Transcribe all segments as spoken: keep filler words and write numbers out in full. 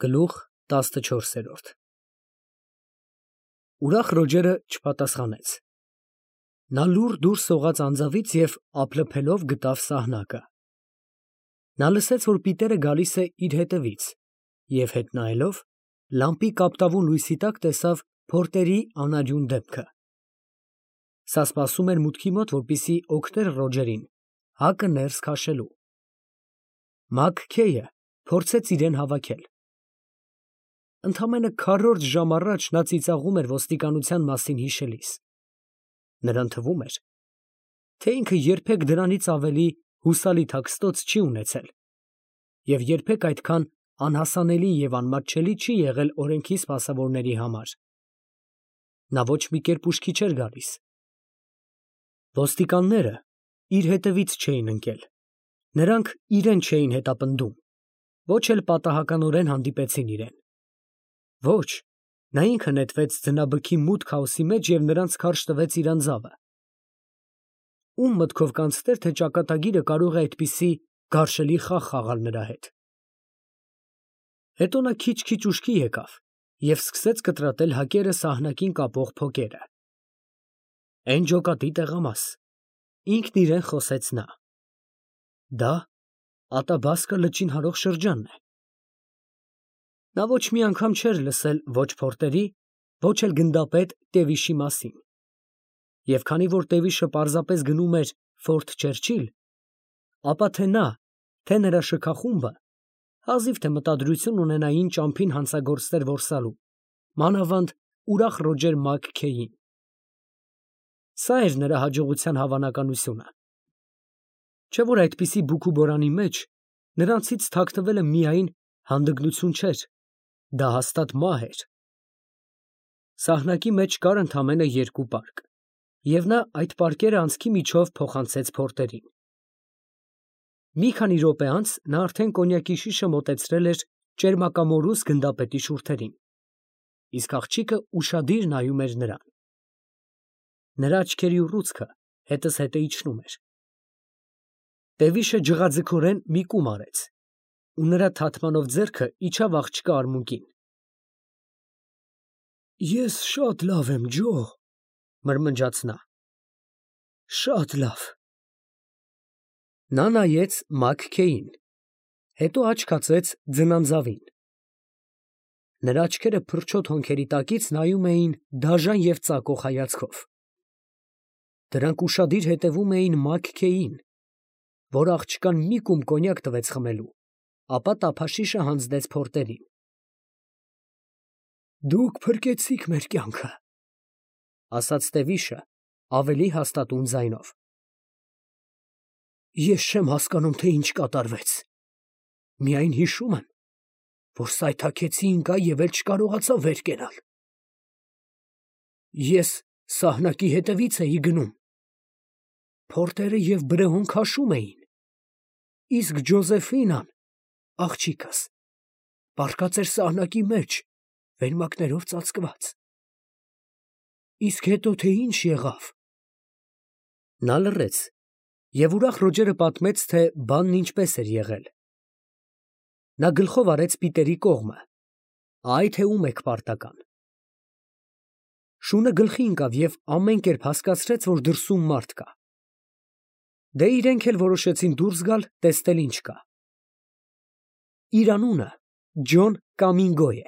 Գլուխ տասնչորսերորդ Ուրախ Ռոջերը չպատասխանեց. նա լուռ դուրս սողաց անձավից և ափլփելով գտավ սահնակը. նա լսեց, որ պիտերը գալիս է իր հետևից և հետ նայելով, լամպի կապտավուն լույսի տակ տեսավ փորտերի անարյուն դեմքը. սա սպասում էր մուտքի մոտ, որպեսզի օգներ Ռոջերին հակը ներս քաշելու։ Մագ-Քեյը փորձեց իրան հավաքել. ընդամենը քառորդ ժամ առաջ նա ծիծաղում էր ոստիկանության մասին հիշելիս. նրան թվում էր, թե ինքը երբեք դրանից ավելի հուսալի թաքստոց չի ունեցել և երբեք այդքան անհասանելի և անմատչելի չի եղել օրենքի սպասավորների համար։ Նա ոչ մի կերպ ուշքի չէր գալիս։ Ոստիկանները իր հետևից չէին ընկել, նրանք իրան չէին հետապնդում, ոչ էլ պատահականորեն հանդիպեցին իրան։ Ոչ, նա ինքը նետվեց ձնաբքի մութ քաոսի մեջ և նրանց քարշ տվեց իր անձավը։ Ո՞ւմ մտքով կանցներ, թե ճակատագիրը կարող է այդպիսի գարշելի խաղ խաղալ նրա հետ։ Հետո նա քիչ֊քիչ ուշքի եկավ և սկսեց կտրատել հակերը սահնակին կապող փոկերը։ Էն ջոկատի տեղամաս, ինքն իրան խոսեց նա։ Դա Ատաբասկա լճին հարող շրջանն է։ Նա ոչ մի անգամ չէր լսել ոչ փորտերի, ոչ էլ գնդապետ Տևիշի մասին, և քանի որ Տևիշը պարզապես գնում էր Ֆորթ Չերչիլ, ապա թե նա, թե նրա շքախումբը հազիվ թե մտադրություն ունենային ճամփին հանցագործներ որսալու, մանավանդ ուրախ Ռոջեր Մագ֊Քեյին։ Սա էր նրա հաջողության հավանականությունը։ Չէ՞ որ այդպիսի բուքուբորանի մեջ նրանցից թաքնվելը միայն հանդգնություն չէր, դա հաստատ մահ էր։ Սահնակի մեջ կար ընդամենը երկու պարկ, և նա այդ պարկերը անցքի միջով փոխանցեց փորտերին։ Մի քանի րոպե անց նա արդեն կոնյակի շիշը մոտեցրել էր ճերմակամորուս գնդապետի շուրթերին, իսկ աղջիկը ուշադիր նայում էր նրան։ Նրա աչքերի ուռուցքը հետզհետե իջնում էր։ Տևիշը ջղաձգորեն մի կում արեց, ու նրա թաթմանով ձեռքը իջավ աղջկա արմունկին։ Ես շատ լավ եմ, ջո, մրմնջաց նա, շատ լավ։ Նա նայեց Մագ-Քեյին, հետո աչք հացեց ձնանձավին։ Նրա աչքերը փրչոտ հոնքերի տակից նայում էին դաժան և ծակող հայացքով։ Դրանք ուշադիր հետևում էին Մագ-Քեյին, որ աղջկան մի կում կոնյակ տվեց խմելու, ապա տափաշիշը հանձնեց փորտերին։ Դուք փրկեցիք մեր կյանքը, ասաց Տևիշը ավելի հաստատուն ձայնով։ Ես չեմ հասկանում, թե ինչ կատարվեց, միայն հիշում եմ, որ սայթաքեցի ընկա և էլ չկարողացա վեր կենալ։ Ես սահնակի հետևից էի գնում, փորտերը և Բրեոն քաշում էին, իսկ Ջոզեֆինան, աղջիկս, պառկած էր սահնակի մեջ, վերմակներով ծածկված։ Իսկ հետո թե ինչ եղավ։ Նա լռեց, և ուրախ Ռոջերը պատմեց, թե բանն ինչպես էր եղել։ Նա գլխով արեց Պիտերի կողմը, այ թե ում եք պարտական։ Շունը գլխի ընկավ և ամեն կերպ հասկացրեց, որ դրսում մարդ կա։ Դե իրենք էլ որոշեցին դուրս գալ, տեսնել ինչ կա։ Իր անունը Ջոն Կամինգո է։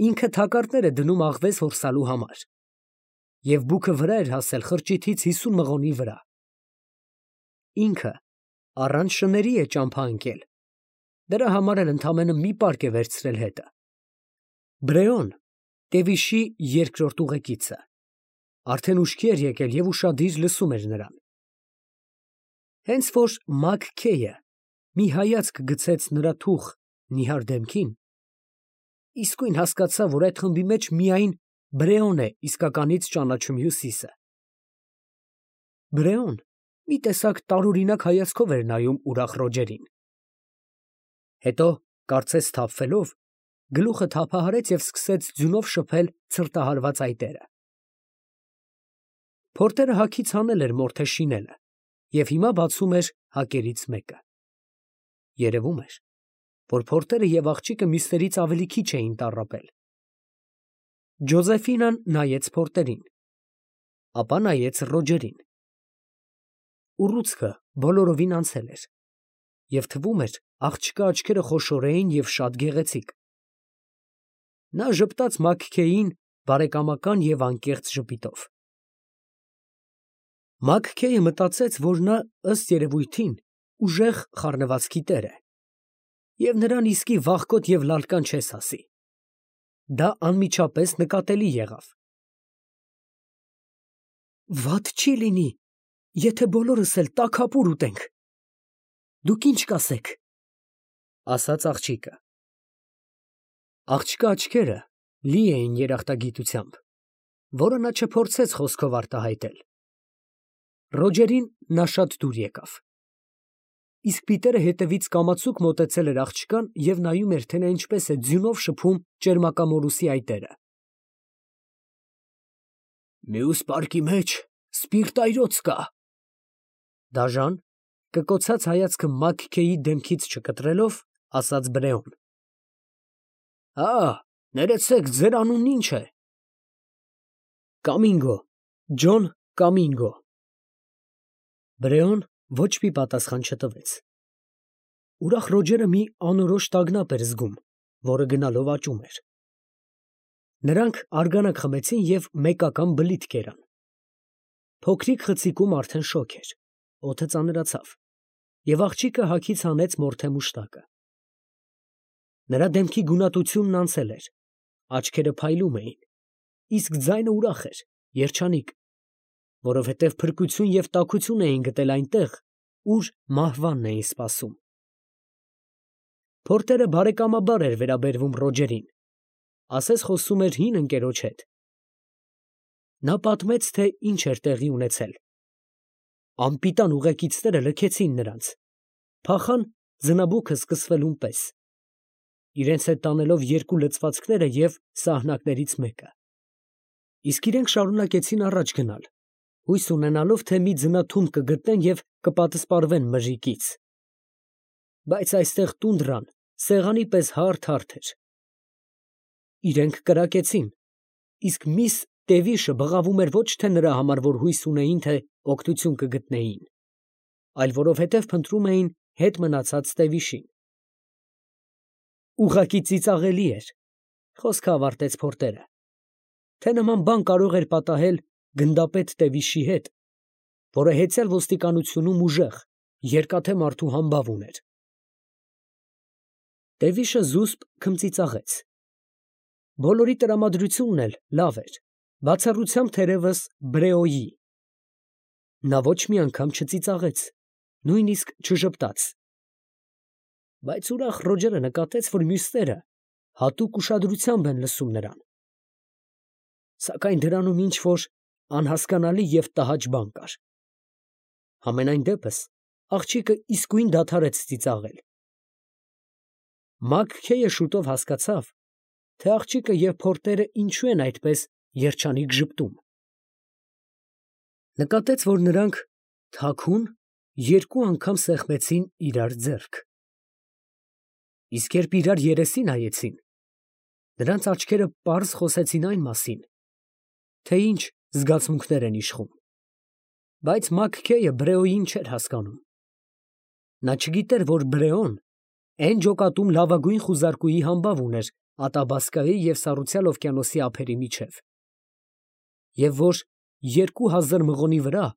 Ինքը թակարդներ է դնում աղվես որսալու համար, և բուքը վրա էր հասել խրճիթից հիսուն մղոնի վրա։ Ինքը առանց շների է ճամփա ընկել, դրա համար էլ ընդամենը մի պարկ է վերցրել հետը։ Բրեոն, Տևիշի երկրորդ ուղեկիցը, արդեն ուշքի էր եկել և ուշադիր լսում էր նրան։ Հենց որ Մագ-Քեյը մի հայացք գցեց նրա թուխ նիհար դեմքին, իսկույն հասկացավ, որ այդ խմբի մեջ միայն Բրեոն է իսկականից ճանաչում Հյուսիսը։ Բրեոն մի տեսակ տարօրինակ հայացքով էր նայում ուրախ Ռոջերին։ Հետո, կարծես սթափվելով, գլուխը թափահարեց և սկսեց ձյունով շփել ցրտահարված այտերը։ Փորտերը հագից հանել էր մորթե շինելը և հիմա բացում էր հակերից մեկը։ Երևում էր, որ Փորտերը և աղջիկը մյուսներից ավելի քիչ էին տառապել։ Ջոզեֆինան նայեց Փորտերին, ապա նայեց Ռոջերին։ Ուռուցքը բոլորովին անցել էր, և թվում էր աղջկա աչքերը խոշոր էին և շատ գեղեցիկ։ Նա ժպտաց Մաքքեյին բարեկամական և անկեղծ ժպիտով։ Մաքքեյը մտածեց, որ նա, ըստ երևույթին, ուժեղ խառնվածքի տեր է, և նրան իսկի վախկոտ և լալկան չես ասի։ Դա անմիջապես նկատելի եղավ։ Վատ չի լինի, եթե բոլորս էլ տաքապուր ուտենք, դուք ի՞նչ կասեք, ֊ ասաց աղջիկը։ Աղջկա աչքերը լի էին երախտագիտությամբ, որը նա չփորձեց խոսքով արտահայտել։ Ռոջերին նա շատ դուր եկավ։ Իսկ Պիտերը հետևից կամացուկ մոտեցել էր աղջկան և նայում էր, թե նա ինչպես է ձյունով շփում ճերմակամորուսի այտերը։ Մյուս պարկի մեջ սպիրտայրոց կա, ֊ դաժան, կկոցած հայացքը Մաքքեյի դեմքից չկտրելով, ասաց Բրեոն։ Հա, ներեցեք, ձեր անունն ի՞նչ է։ Կամինգո, Ջոն Կամինգո։ Բրեոն ոչ մի պատասխան չտվեց։ Ուրախ Ռոջերը մի անորոշ տագնապ էր զգում, որը գնալով աճում էր։ Նրանք արգանակ խմեցին և մեկական բլիթ կերան։ Փոքրիկ խցիկում արդեն շոգ էր, օդը ծանրացավ, և աղջիկը հագից հանեց մորթե մուշտակը։ Նրա դեմքի գունատությունն անցել էր, աչքերը փայլում էին, իսկ ձայնը ուրախ էր, երջանիկ, որովհետև փրկություն և տաքություն էին գտել այնտեղ, ուր մահվանն էին սպասում։ Փորտերը բարեկամաբար էր վերաբերվում Ռոջերին, ասես խոսում էր հին ընկերոջ հետ։ Նա պատմեց, թե ինչ էր տեղի ունեցել։ Անպիտան ուղեկիցները լքեցին նրանց, փախան ձնաբուքը սկսվելուն պես, իրենց հետ տանելով երկու լցվածքները և սահնակներից մեկը, իսկ իրենք շարունակեցին առաջ գնալ, հույս ունենալով, թե մի ձնաթում կգտնեն և կպատսպարվեն մժիկից։ Բայց այստեղ տունդրան սեղանի պես հարթ֊հարթ էր։ Իրենք կրակեցին, իսկ միս Տևիշը բղավում էր ոչ թե նրա համար, որ հույս ունեին, թե օգնություն կգտնեին, այլ որովհետև փնտրում էին հետ մնացած Տևիշին։ Ուղղակի ծիծաղելի էր, խոսքը ավարտեց Փորտերը, թե նման բան կարող էր պատահել գնդապետ Տևիշի հետ, որը հեծյալ ոստիկանությունում ուժեղ, երկաթե մարդու համբավ ուներ։ Տևիշը զուսպ քմծիծաղեց։ Բոլորի տրամադրությունն էլ լավ էր, բացառությամբ թերևս Բրեոյի։ Նա ոչ մի անգամ չծիծաղեց, նույնիսկ չժպտաց։ Բայց ուրախ Ռոջերը նկատեց, որ մյուսները հատուկ ուշադրությամբ են լսում նրան։ Սակայն դրանում ինչ֊որ անհասկանալի և տհաճ բան կար։ Համենայն դեպս աղջիկը իսկույն դադարեց ծիծաղել։ Մաքքեյը շուտով հասկացավ, թե աղջիկը և Փորտերը ինչու են այդպես երջանիկ ժպտում։ Նկատեց, որ նրանք թաքուն երկու անգամ սեղմեցին իրար ձեռք։ Իսկ երբ իրար երեսի նայեցին, նրանց աչքերը պարզ խոսեցին այն մասին, թե ինչ զգացմունքներ են իշխում։ Բայց Մաքքեյը Բրեոյին չէր հասկանում։ Նա չգիտեր, որ Բրեոն էն ջոկատում լավագույն խուզարկուի համբավ ուներ Ատաբասկայի և Սառուցյալ օվկիանոսի ափերի միջև, և որ երկու հազար մղոնի վրա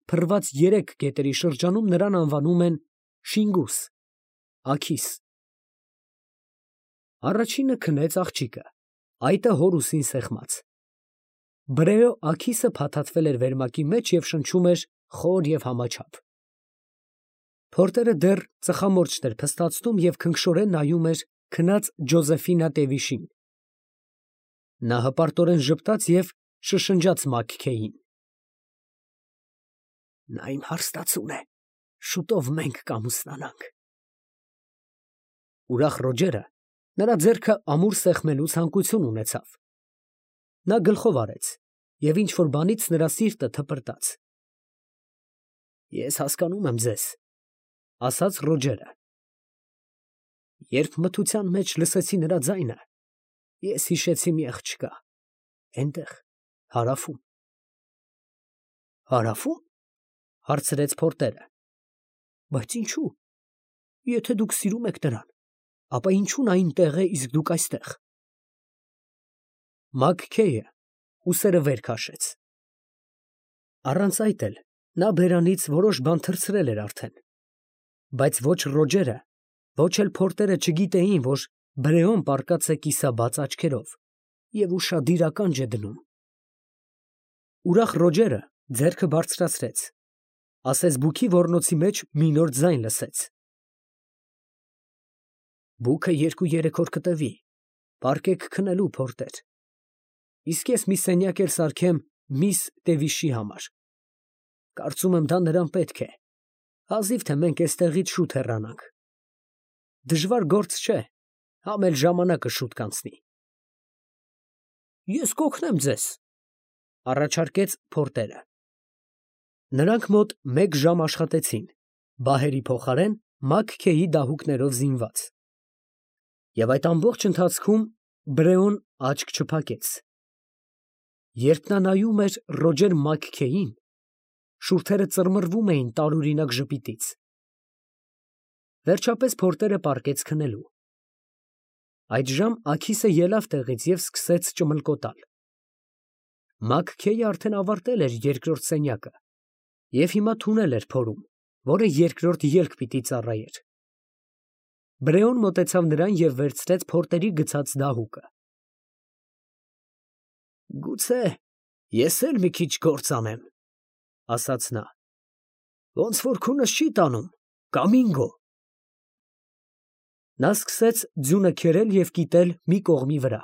փռված երեք գետերի շրջանում նրան անվանում են Շինգուս աքիս։ Առաջինը քնեց աղջիկը, այտը հոր ուսին սեղմած։ Բրեո աքիսը փաթաթվել էր վերմակի մեջ և շնչում էր խոր և համաչափ։ Փորտերը դեռ ծխամորճ էր փստացնում և քնքշորեն նայում էր քնած Ջոզեֆինա Տևիշին։ Նա հպարտորեն ժպտաց և շշնջաց Մաքքեյին. Նա իմ հարստացուն է, շուտով մենք կամուսնանանք։ Ուրախ Ռոջերը նրա ձեռքը ամուր սեղմելու ցանկություն ունեցավ։ Նա գլխով արեց, և ինչ֊որ բանից նրա սիրտը թպրտաց։ Ես հասկանում եմ ձեզ, ֊ ասաց Ռոջերը։ Երբ մթության մեջ լսեցի նրա ձայնը, ես հիշեցի մի աղջկա, այնտեղ, հարավում։ Հարավում, հարցրեց փորտերը։ Բայց ինչու։ Եթե դուք սիրում եք նրան, ապա ինչու նա այնտեղ է, իսկ դուք այստեղ։ Մաքքեյը ուսերը վեր քաշեց։ Առանց այդ էլ նա բերանից որոշ բան թռցրել էր արդեն, բայց ոչ Ռոջերը, ոչ էլ փորտերը չգիտեին, որ Բրեոն պառկած է կիսաբաց աչքերով և ուշադիր ականջ է դնում։ Ուրախ Ռոջերը ձեռքը բարձրացրեց, ասես բուքի ոռնոցի մեջ մի նոր ձայն լսեց։ Բուքը երկու երեք օր կտևի, պառկեք քնելու, փորտեր, իսկ ես մի սենյակ էլ սարքեմ միս Տևիշի համար։ Կարծում եմ դա նրան պետք է, հազիվ թե մենք էստեղից շուտ հեռանանք։ Դժվար գործ չէ, համ էլ ժամանակը շուտ կանցնի։ Ես կօգնեմ ձեզ, առաջարկեց փորտերը։ Նրանք մոտ մեկ ժամ աշխատեցին, բահերի փոխարեն Մաքքեյի դահուկներով զինված։ Եվ այդ ամբողջ ընթացքում Բրեոն աչք չփակեց։ Երբ նա նայում էր Ռոջեր Մաքքեյին, շուրթերը ծռմռվում էին տարօրինակ ժպիտից։ Վերջապես փորտերը պառկեց քնելու։ Այդժամ Աքիսը ելավ տեղից և սկսեց ճմլկոտալ։ Մաքքեյը արդեն ավարտել էր երկրորդ սենյակը և հիմա թունել էր փորում, որը երկրորդ ելք պիտի ծառայեր։ Բրեոն մոտեցավ նրան և վերցրեց փորտերի գցած դահուկը։ Գուցե ես էլ մի քիչ գործ անեմ, ասաց նա, ոնց որ քունս չի տանում, կամինգո։ Նա սկսեց ձյունը քերել և կիտել մի կողմի վրա։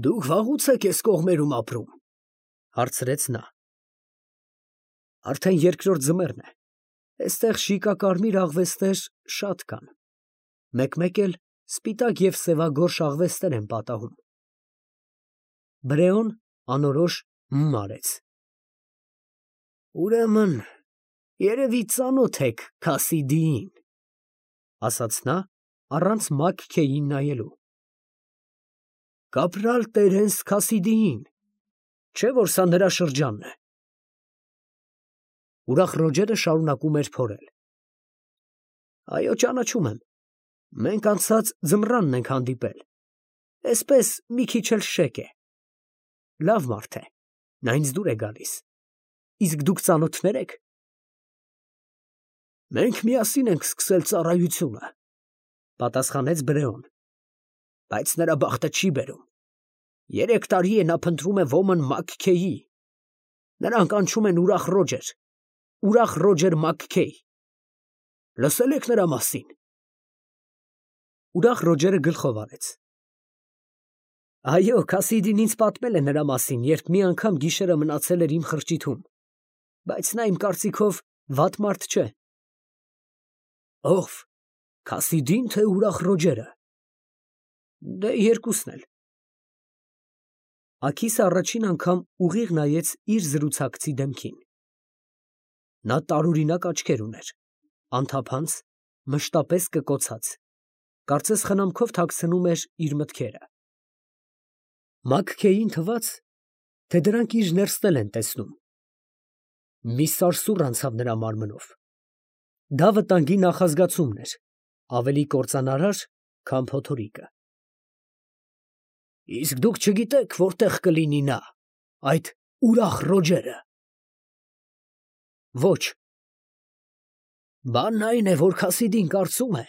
Դուք վաղուց եք էս կողմերում ապրում, հարցրեց նա։ Արդեն երկրորդ ձմեռն է, էստեղ շիկակարմիր աղվեսներ շատ կան, մեկ֊մեկ էլ սպիտակ և սևագորշ աղվեսներ են պատահում։ Բրեոն անորոշ հմ արեց։ Ուրեմն, երևի ծանոթ եք Քասիդիին, ասաց նա, առանց Մաքքեյին նայելու։ Կապրալ Տերենս Քասիդիին, չէ՞ որ սա նրա շրջանն է։ Ուրախ Ռոջերը շարունակում էր փորել։ Այո, ճանաչում եմ, մենք անցած ձմռանն ենք հանդիպել, էսպես մի քիչ էլ շեկ է։ Լավ մարդ է, նա ինձ դուր է գալիս։ Իսկ դուք ծանոթնե՞ր եք։ Մենք միասին ենք սկսել ծառայությունը, պատասխանեց Բրեոն, բայց նրա բախտը չի բերում։ Երեք տարի է նա փնտրում է ոմն Մաքքեյի, նրան կանչում են Ուրախ Ռոջեր, Ուրախ Ռոջեր Մաքքեյ։ Լսել եք նրա մասին։ Ուրախ Ռոջերը գլխով արեց։ Այո, Քասիդին ինձ պատմել է նրա մասին, երբ մի անգամ գիշերը մնացել էր իմ խրճիթում, բայց նա իմ կարծիքով վատ մարդ չէ։ Ո՞վ, Քասիդին, թե Ուրախ Ռոջերը։ Դե երկուսն էլ։ Աքիսը առաջին անգամ ուղիղ նայեց իր զրուցակցի դեմքին։ Նա տարօրինակ աչքեր ուներ, անթափանց, մշտապես կկոցած, կարծես խնամքով թաքցնում էր իր մտքերը։ Մաքքեյին թվաց, թե դրանք իր ներսն են տեսնում։ Մի սարսուռ անցավ նրա մարմնով։ Դա վտանգի նախազգացումն էր, ավելի կործանարար, քան փոթորիկը։ Իսկ դուք չգիտեք, որտեղ կլինի նա, այդ Ուրախ Ռոջերը։ Ոչ։ Բանն այն է, որ Քասիդին կարծում է,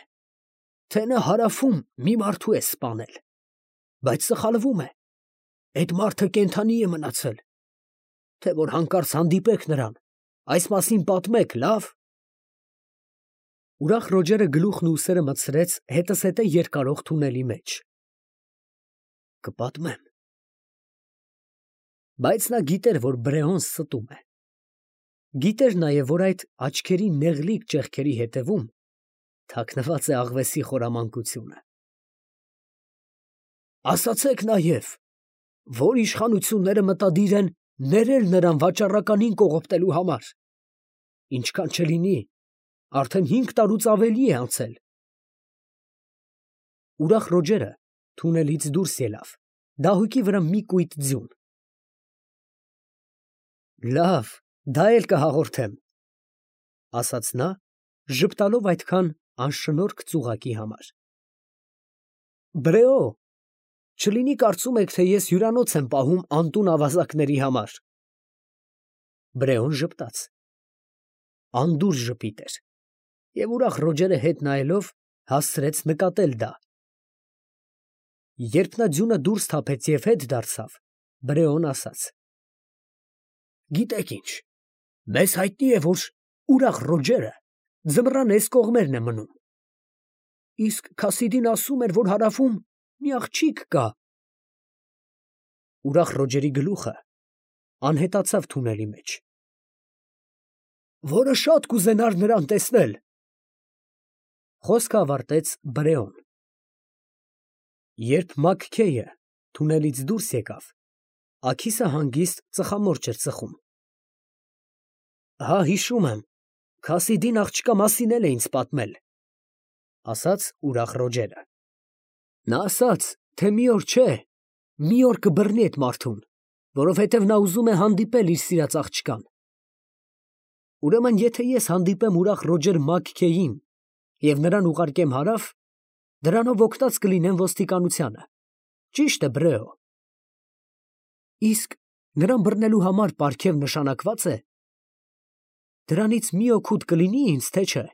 թե նա հարավում մի մարդու է սպանել, բայց սխալվում է։ Այդ մարդը կենդանի է մնացել, թե որ հանկարծ հանդիպեք նրան, այս մասին պատմեք, լավ։ Ուրախ Ռոջերը գլուխն ու ուսերը մտցրեց հետզհետե երկարող թունելի մեջ։ Կպատմեմ։ Բայց նա գիտեր, որ Բրեոն ստում է։ Գիտեր նաև, որ այդ աչքերի նեղլիկ ճեղքերի հետևում թաքնված է աղվեսի խորամանկությունը։ Ասացեք նաև, որ իշխանությունները մտադիր են ներել նրան վաճառականին կողոպտելու համար։ Ինչքան չլինի, արդեն հինգ տարուց ավելի է անցել, Ուրախ Ռոջերը թունելից դուրս ելավ, դահուկի վրա մի կույտ ձյուն։ Լավ, դա էլ կհաղորդեմ, ասաց նա, ժպտալով այդքան անշնորհք ծուղակի համար։ Բրեո, չլինի կարծում եք, թե ես հյուրանոց եմ պահում անտուն ավազակների համար։ Բրեոն ժպտաց։ Անդուր ժպիտ էր, և ուրախ Ռոջերը հետ նայելով հասցրեց նկատել դա։ Երբ նա ձյունը դուրս թափեց և հետ դարձավ, Բրեոն ասաց. Գիտեք ինչ, մեզ հայտնի է, որ ուրախ Ռոջերը ձմռան էս կողմերն է մնում, իսկ Քասիդին ասում էր, որ հարավում մի աղջիկ կա։ Ուրախ Ռոջերի գլուխը անհետացավ թունելի մեջ։ Որը շատ կուզենար նրան տեսնել, խոսքը ավարտեց Բրեոն։ Երբ Մաքքեյը թունելից դուրս եկավ, աքիսը հանգիստ ծխամորճ էր ծխում։ Հա, հիշում եմ, Քասիդին աղջկա մասին էլ է ինձ պատմել, ասաց ուրախ Ռոջերը։ Նա ասաց, թե մի օր չէ, մի օր կբռնի այդ մարդուն, որովհետև նա ուզում է հանդիպել իր սիրած աղջկան։ Ուրեմն, եթե ես հանդիպեմ ուրախ Ռոջեր Մաքքեյին և նրան ուղարկեմ հարավ, դրանով օգտած կլինեմ ոստիկանությանը, ճի՞շտ է, Բրեո։ Իսկ նրան բռնելու համար պարգև նշանակվա՞ծ է։ Դրանից մի օգուտ կլինի ինձ, թե չէ։